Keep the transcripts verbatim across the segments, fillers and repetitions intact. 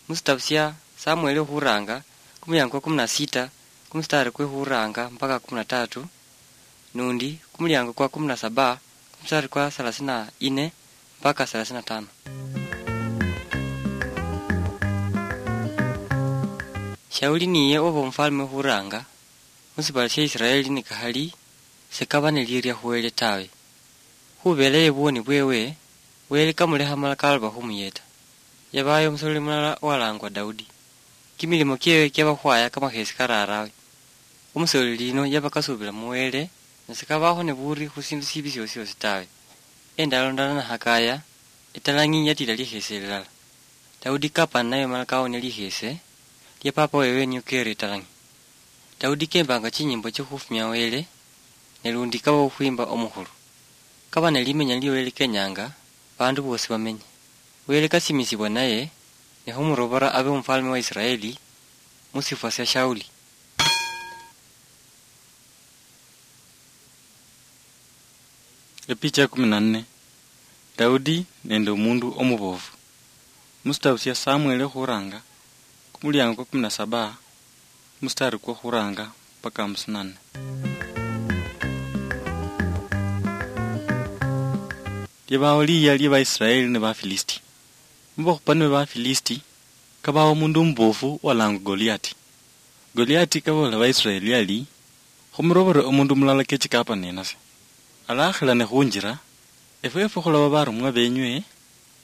Musitabu sia Samueli okhuranga, kumuliango kwa kumi na sita, kumustari kwe khuranga mpaka kumi na tatu, nundi kumuliango kwa kumi na saba, kumustari kwa thelathini na nne mpaka thelathini na tano. Shauli niye oba omufalme okhuranga musibala sia Israeli, nikakhali sekaba neliria khuwele tawe. Khubela yebwoni bwewe, Wele kamulekha mala kaloba khumuyeta. Yabayo omusoleli mulala owalangwa Daudi. Kimilimo kiewe kiabakhwaya kamakhesi kararawe. Omusoleli yino yaba kasubila mu Wele, ne sikabakho ne buri khu sindu sibi siosi siosi tawe. Endalo ndala nahakaya, etalang'i yatila likhese lilala. Daudi kapana nayo mala kawonia likhese lia papa wewe niyo kere etalang'i. Daudi kembanga chinyimbo chikhufumia Wele, ne lundi kaba okhwimba omukhulu. Kaba ne limenya lio Wele kenyanga bandu bosi bamenye. Wele kasimisibwa naye, ne khumurobora abe omufalme wa Israeli musifwa sia Shauli. Epicha ya kumi na nne. Daudi nende omundu omubofu. Musitabu sia Samueli okhuranga, kumuliango kwa kumi na saba, mustari kwa khuranga mpaka hamsini na nne. Libawo liya lia Baisraeli ne Bafilisti. Mubakhupani be Bafilisti, kabawo omundu omubofu walangwa Goliati. Goliati kaboolela Baisraeli ali, "Khumurobore omundu mulala kechi kapa nenase. Alakhilane khunjira, efwefwe khulaba barumwa benywe,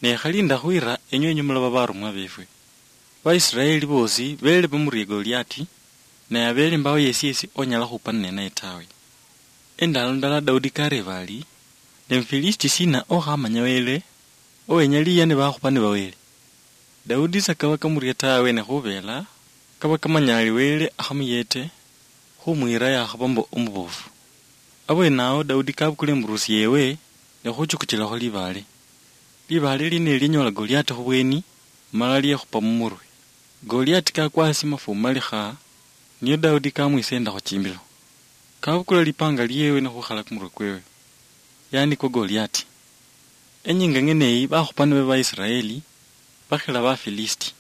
ne khali ndakhwira enywe enywe mulaba barumwa befwe." Baisraeli bosi bele bamurie Goliati, naye abele mbawo yesi yesi onyala khupana nenaye tawe. Endalo ndala Daudi kareba ali, "Ne Mufilisti sina okhamanya Wele, owenya liya ne bakhupani ba Wele?" Daudi sakaba kamuria tawe, ne khubela kaba kamanya ali Wele akhamuyete, khumwira yakhaba mbo omubofu. Abwenawo Daudi kabukula imburusi yewe, ne khuchukuchilakho libaale. Libaale lino linyola Goliati khubweni, mala liekhupa mumurwe. Goliati kakwa hasi mafumalikha, niyo Daudi kamwisendakho chimbilo. Kabukula lipanga liewe ne khukhala kumurwe kwewe. Yani kwa Goliati. Enyinga ng'eneyi bakhupani be Baisraeli bakhila Bafilisti.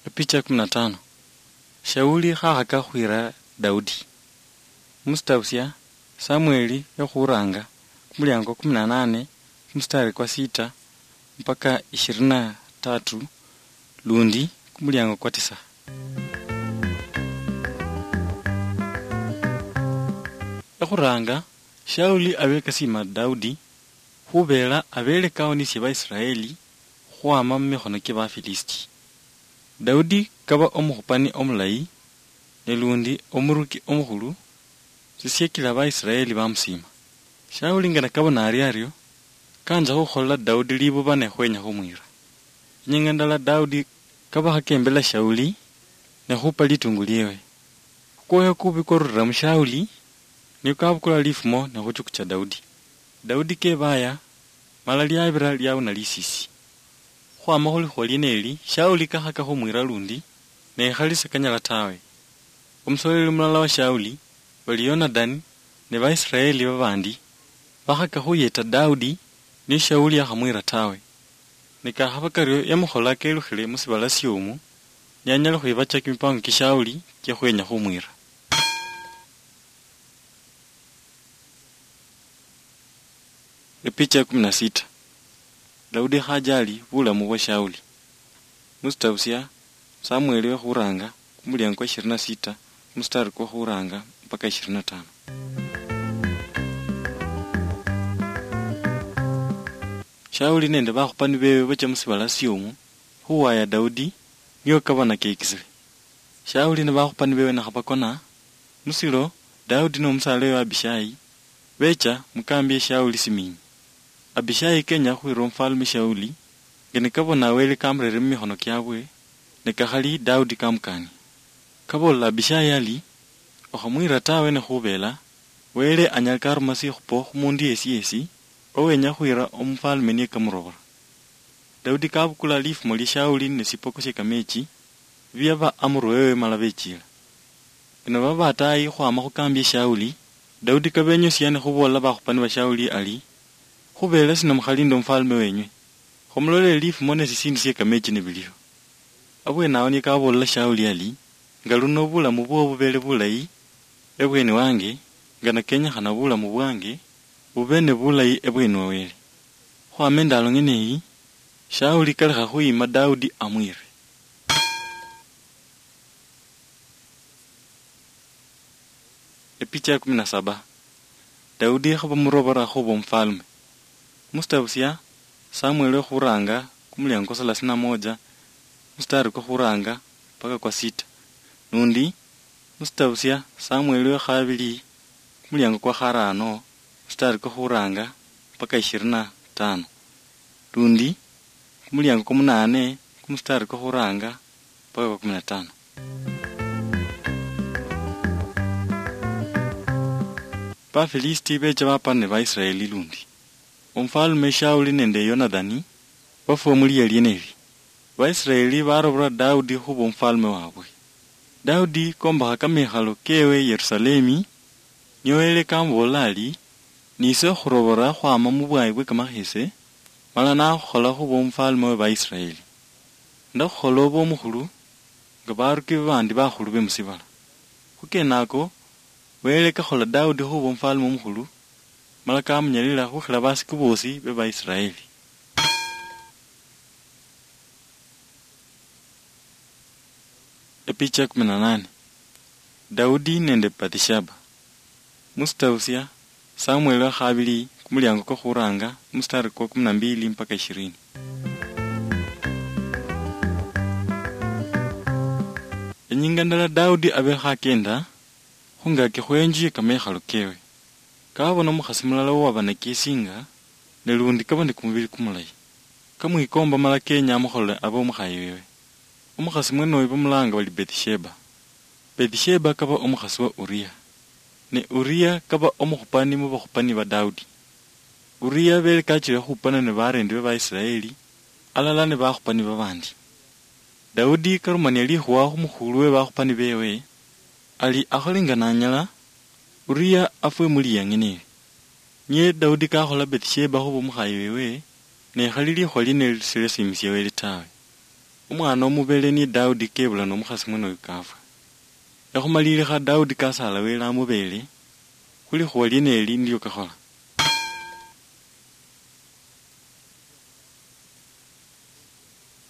Epicha ya kumi na tano. Shauli khakhaka khwira Daudi. Musitabu sia Samueli yokhuranga, kumuliango kumi na nane, kumustari kwa sita mpaka ishirini na tatu, lundi kumuliango kwa tisa. Ekhuranga, Shauli abekasima Daudi, khubela abele kawonisye Baisraeli khwama mumikhono kye Bafilisti. Daudi kaba omukhupani omulayi, ne lundi omuruki omukhulu, sisiekila Baisraeli bamusiima. Shauli nga nakabona ari ario, kanza khukholela Daudi libuba ne khwenya khumwira. Inyinga ndala Daudi kaba khakembela Shauli ne khupa litungu liewe. Kukwoyo kubi kwarulila mu Shauli, niko kabukula lifumo ne khuchukucha Daudi. Daudi kebaya, mala liabira liauna lisisi. Khwama khulikhuwa lieneli, Shauli kakhaka khumwira lundi, ne khali sikanyala tawe. Omusoleli mulala wa Shauli, bali Yonadani ne Baisraeli babandi, bakhaka khuyeta Daudi, ne Shauli yakhamwira tawe. Ne kakhaba kario yamukhola kelukhile musibala siomu, ne anyala khwibacha kimipango kia Shauli kia khwenya khumwira. Epicha ya kumi na sita. Daudi khajali bulamu bwa Shauli. Musitabu sia Samueli wekhuranga, kumuliango kwa ishirini na sita, mustari kwa khuranga mpaka ishirini na tano. Shauli nende bakhupani bewe bacha musibala siomu khuwaya Daudi, nio kabona kekisile. Shauli ne bakhupani bewe nakhabakona, musilo Daudi nomusaala wewe Abishai becha mukambi ya Shauli siminyi. Abishai kenya khwira omufalme Shauli, nge nikabona Wele kamurere mumikhono kiabwe, nikakhali Daudi kamukania. Kaboolela Abishai ali, "Okhamwira tawe, ne khubela Wele anyala karuma sikhupo khumundu yesi yesi owenya khwira omufalme niye kamurobora." Daudi kabukula lifumo lia Shauli ne sipoko sie kamechi, biaba amurwe wewe mala bechila. Ino baba batayi khwama khukambi ya Shauli, Daudi kabenyosia ne khuboolela bakhupani ba Shauli ali, Khubeela sina mukhalinde omufaalume wenywe? Khumulolele lifumo ne sisiindu sie kameechi nibiliho. Abweene awo nio kabool'la Shauli ali, nga luno bulamu bwoo bubeele bulayi ebweeni wange, nga nakenyekhana bulamu bwange bube ne bulayi ebweeni wa Wele. Khwama endaalo ng'ene eyi, Shauli kalekha khuyima Daudi amwiire. Epicha ya kumi na saba. Daudi khabamurobola khuba omufaalume. Musitabu sia Samueli okhuraanga kumuliango kwa thelathini na moja, musitari kwa khuraanga mpaka kwa sita. Nundi musitabu sia Samueli wa khabili kumuliango kwa kharaano, musitari kwa khuraanga mpaka ishirini na tano. Lundi kumuliango kwa munaane, kumusitari kwa khuraanga mpaka kwa kumi na tano. Bafilisiti beecha bapana ne Baisiraeli lundi. Omufaalume Shauli nende Yonathani bafwa muliya lieneli. Baisiraeli barobola Daudi khuba omufaalume wabwe. Daudi kombakha kamekhalo kewe Yerusalemi, nio Wele kamuboolela ari, "Nise okhurobola khwama mubwayi bwe kamakhese, mala nakhukhola khuba omufaalume we Baisiraeli. Ndakhukhola obe omukhulu nga baruki babandi bakhulu be musibala." Khukenako, Wele kakhola Daudi khuba omufaalume omukhulu, mala kamunyalila khukhila basiku bosi be Baisiraeli. Epicha ya kumi na nane. Daudi nende Bathsheba. Musitabu sia Samueli wa khabili kumuliango kwa khuraanga, musitari kwa kumi na mbili mpaka ishirini. Inyinga ndala Daudi abekha akenda khungaki khwenju ye kamekhalo kewe. Kabona omukhasi mulala owaba nakisinga, ne lundi kaba ne kumubili kumulayi. Kamwikomba mala kenya amukholole abe omukhayi wewe. Omukhasi mwenoyo bamulanga bali Bathsheba. Bathsheba kaba omukhasi wa Uria. Ne Uria kaba omukhupani mu bakhupani ba Daudi. Uria bele kachile khukhupana ne barendi be Baisiraeli, alala ne bakhupani babandi. Daudi karumania likhuwa khu mukhulu we bakhupani bewe, ali akhole nga nanyala, Uria afwe mu liyang'eneli. Niye Daudi kakhola Bathsheba khuba omukhayi wewe, ne khali likhuwa lieneli silasiimisia Wele tawe. Omwana omubele niye Daudi kebula nomukhasi mwenoyo kafwa. Ekhumalilikha Daudi kasaala Wele amubele, khulikhuwa lieneli nilio kakhola.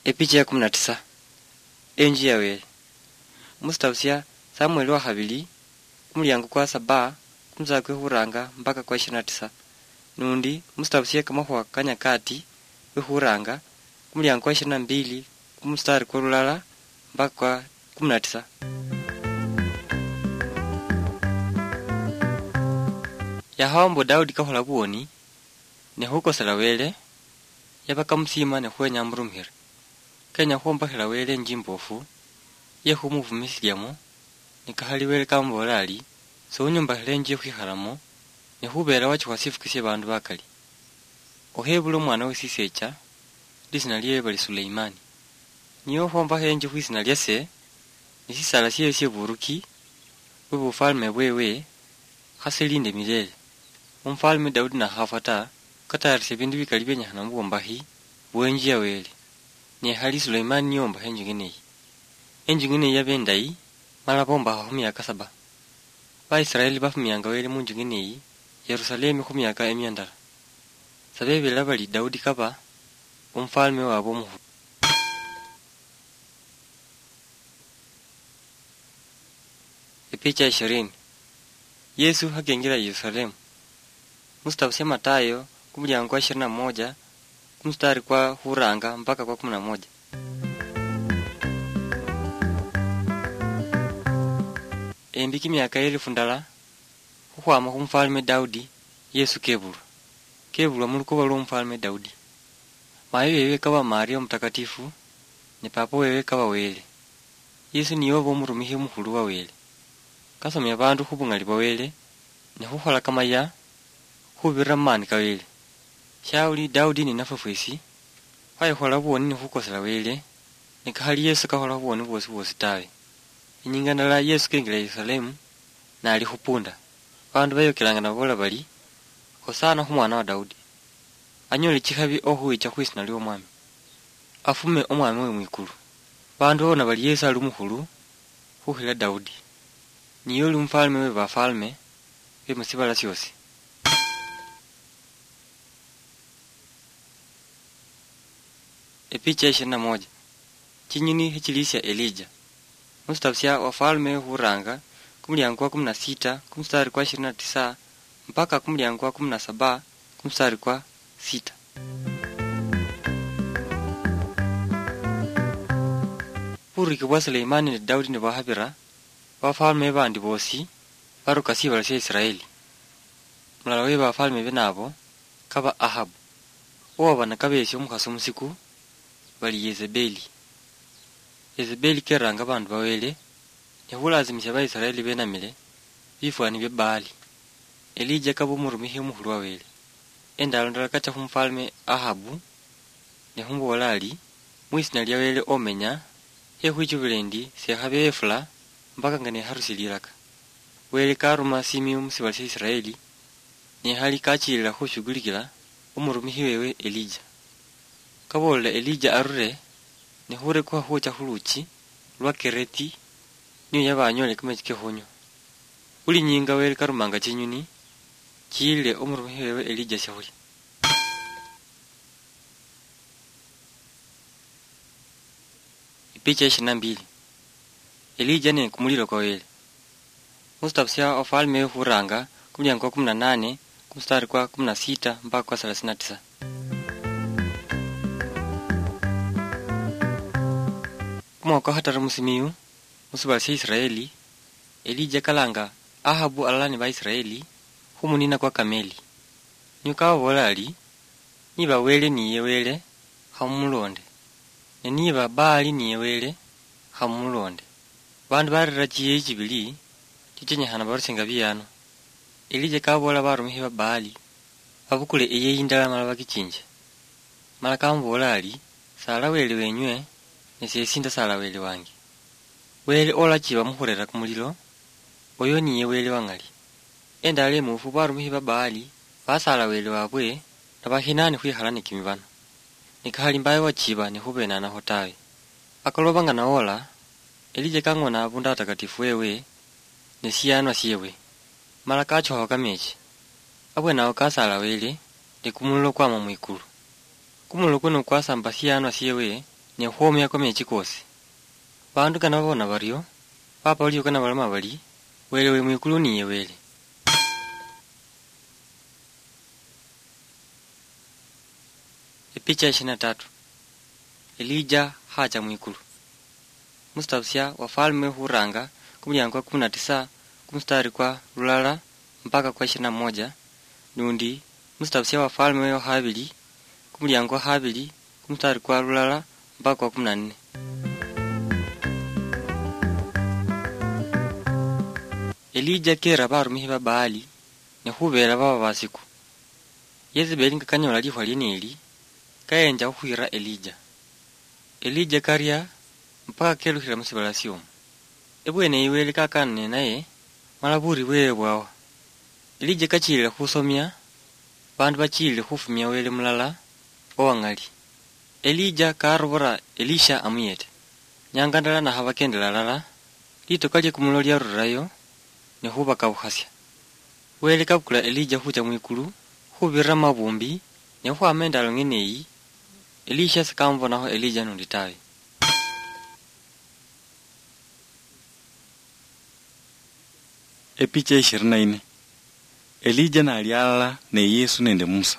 Epicha ya kumi na tisa. Enju ya Wele. Musitabu sia Samueli wa khabili, kumuliango kwa saba, kumusala kwe khuranga mpaka kwa ishirini na tisa. Nundi musitabu sia kamakhuwa ka Nyakati kwe khuranga, kumuliango kwa ishirini na mbili, kumusitari kwa lulala mpaka kwa kumi na tisa. Yakhawa mbu Daudi kakhola buwoni, ne khukosela Wele, yaba kamusiima ne khwenya amurumikhire. Kenya khwombakhila Wele inju imboofu, ye khumufumisiliamo, nikakhali Wele kamuboolera ari, "Sounyombakhila inju ye khwikhalamo, ne khubeera wachukha sifuki sie baandu bakali." Okhebule omwana we sisecha, lisina liewe bali Suleimani. Niye okhwombakha inju khwisina liase, ne sisaala siewe sie buruki, bwe bufalme bwewe, khasilinde milele. Omufalme Daudi nakhafwa ta, katayarishe ebindu bikali bienyekhana mubwombakhi bwenju ya Wele. Ne khali Suleimani niye ombakha enju ng'ene eyi. Enju ng'ene eyi yaba endayi, mala bombakha khumiaka saba. Baisiraeli bafumianga Wele munju ng'ene eyi, Yerusalemi khumiaka emia ndala. Sabebela bali Daudi kaba omufalme wabwe omukhulu. Epicha ishirini. Yesu hakengira Yerusalemu. Musitabu sia Matayo, kumuliango kwa ishirini na moja, kumustari kwa khuranga mpaka kwa kumi na moja. Embi kimiaka elifu ndala, khukhwama khumufalme Daudi, Yesu kebulwa. Kebulwa mulukoba lwomufalme Daudi. Mayi wewe kaba Maria Omutakatifu, ne papa wewe kaba Wele. Yesu niye oba omurumikhi omukhulu wa Wele. Kasomia baandu khubung'ali bwa Wele, ne khukhola kamaya khubirira mumaani ka Wele. Shauli Daudi ninafwe fwesi, khwayikhola buwoni nikhukosela Wele, nikakhali Yesu kakhola buwoni bwosi bwosi tawe. Inyinga ndala Yesu kengila Yerusalemu, nali khupunda. Baandu beyokelanga nababoola bali, "Hosana khumwana wa Daudi." Anyole chikhabi okhuwicha khwisina lioMwami. Afume Omwami we mwikulu. Bandu babona bali Yesu ali omukhulu khukhila Daudi. Niye oli omufalme we bafalme be musibala siosi. Epicha ya ishirini na moja. Chinyuni hichilisia Elija. Musitabu sia Wafalme huranga, kumuliango kwa kumi na sita, kumustari kwa ishirini na tisa, mpaka kumuliango kwa kumi na saba, kumustari kwa sita. Buriki bwa Suleimani ne Daudi nibwahabira, bafalme bandi bosi baruka sibala sia Israeli. Mulala we bafalme bene abo kaba Ahabu, owaba nakabeesia omukhasi omusiku bali Yezebeli. Yezebeli keranga abandu ba Wele, ne khulasimisia Baisraeli benamile bifwani bia Baali. Elija kaba omurumikhi omukhulu wa Wele. Endalo ndala kacha khumufalme Ahabu, ne khumuboola ari, "Mwisina lia Wele omenya, khekhwichubile endi sekhabe efula mpaka nga nekharusie liraka." Wele karuma simiu musibala sia Israeli, ne khali kachilila khushugulikila omurumikhi wewe Elija. Kaboolela Elija arure, ne khurekukha khucha khuluchi lwa Kereti, niyo yaba anyole kamechi kekhunywa. Buli nyinga Wele karumanga chinyuni, chiyilile omurumikhi wewe Elija siakhulia. Epicha ya ishirini na mbili. Elija ne kumulilo kwa Wele. Musitabu sia Wafalme we khuranga, kumuliango kwa kumi na nane, kumustari kwa kumi na sita mpaka kwa thelathini na tisa. Kumwaka kwa khataru musimiyu, musibala sia Israeli, Elija kalanga Ahabu alala ne Baisraeli khumunina kwa Kameli. Niyo kababoola ari, "Niba Wele niye Wele, khamumulonde. Ne niba Baali niye Wele, khamumulonde." Bandu barera chiyeyi chibili chichenyekhana barusinga biyano. Elija kaboola barumikhi ba Baali babukule eyeyi ndala mala bakichinje. Mala kamuboola ari, "Sala Wele wenywe, ne siesi ndasala Wele wange. Wele olachiba mukhurera kumulilo, oyo niye Wele wa ng'ali." Endala emufu barumikhi ba Baali basala Wele wabwe, nabakhinani khwikhala ne kimibano. Ne kakhali mbaye wachiba ne khubenanaho tawe. Akoloba nga nawola, Elija kang'ona abundu atakatifu wewe, ne siyanwa siewe, mala kachokhaho kamechi. Abwenawo kasala Wele, ne kumulilo kwama mwikulu. Kumulilo kuno kwasamba siyanwa siewe, ne khwomia kamechi kosi. Bandu nga nababona bario, bapa liuka nabaloma bari, "Wele we mwikulu niye Wele." Epicha ya ishirini na tatu. Elija hacha mwikulu. Musitabu sia Wafalme huranga, kumuliango kwa kumi na tisa, kumustari kwa lulala mpaka kwa ishirini na moja, nundi musitabu sia Wafalme wa habili, kumuliango wa habili, kumustari kwa lulala mpaka kwa kumi na nne. Elija kera barumikhi ba Baali, ne khubeela baba basiku. Yezebeli nga kanyola lifwa lieneli, kayenja khukhwira Elija. Elija karia mpaka kelukhila musibala siomu. Ebweneyi Wele kakana nenaye, mala buri bwewe bwawa. Elija kachilile khusomia, bandu bachilile khufumia Wele mulala owang'ali. Elija karubura Elisha amuyete. Nyanga ndala nakhabakendela alala, litoka lie kumulo liarurirayo, ne khubakabukhasia. Wele kabukula Elija khucha mwikulu, khubirira mumabumbi, ne khukhwama endalo ng'ene eyi, Elisha sikamubonakho Elija nundi tawe. Epicha ishirini na nne. Elija nali alala ne Yesu nende Musa.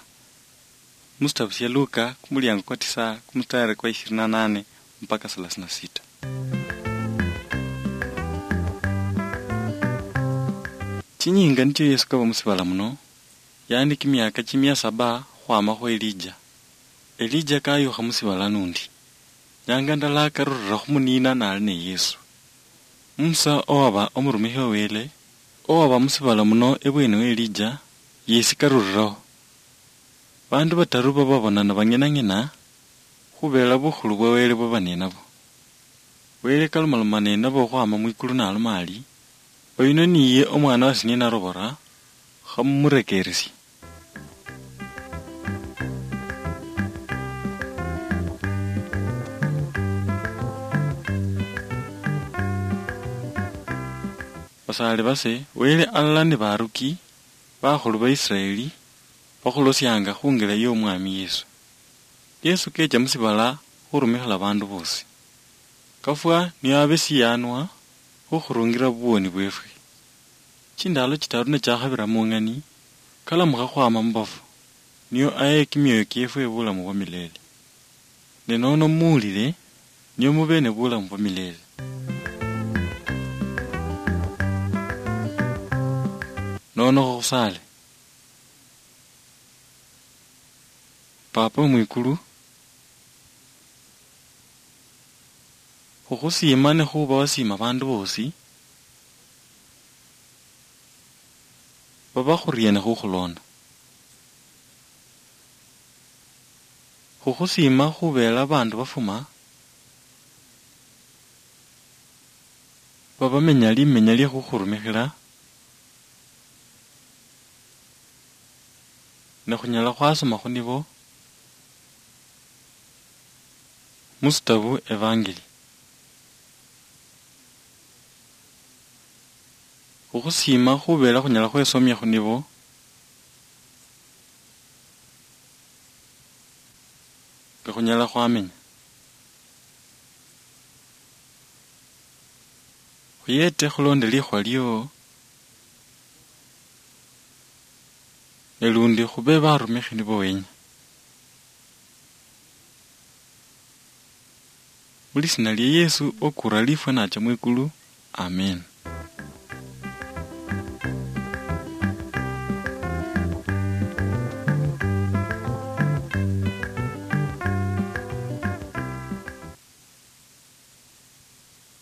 Musitabu sia Luka, kumuliango kwa tisa, kumustari kwa ishirini na nane mpaka thelathini na sita. Chinyinga nichio Yesu kaba musibala muno, yaani kimiaka chimia saba khwamakhwo Elija. Elija kayukha musibala nundi. Nyanga ndala karurira khumunina nali ne Yesu. Musa owaba omurumikhi wa Wele, owaba musibala muno ebweni we Elija, yesi karuriraho. Bandu bataru baba babonana bang'inang'ina, khubela bukhulu bwa Wele bwaba ninabo. Wele kalomaloma ninabo okhwama mwikulu naloma ari, "Oyuno niye omwana wase niye narobora, khamumurekeresie." Basaale base, Wele alala ni baruki bakhulu ba Israeli bakhulosianga khungila y'Omwami Yesu. Yesu kecha musibala khurumikhila bandu bosi. Kafwa nio abe siyanwa khukhurungira buwoni bwefwe. Chindalo chitaru ne chakhabira mung'ani, kalamukha khwama mubafu, nio aye kimioyo kiefwe bulamu bwa milele. Ne nono muwulile, nio mube ne bulamu bwa milele. Nono khukhusale. Papa mwikulu, khukhusiima ne khuba wasiima bandu bosi baba khuriene khukhulonda. Khukhusiima khubeela bandu bafuma, babamenya limenya lie khukhurumikhila, ne khunyala khwasoma khu nibo musitabu Evangeli. Khukhusiima khubeela khunyala khwesomia khu nibo, nga khunyala khwamenya. Khuyete khulonde likhuwa lio, ne lundi khube barumikhi nibo wenya. Mu lisiina lia Yesu okura lifwa nacha mwikulu. Amen.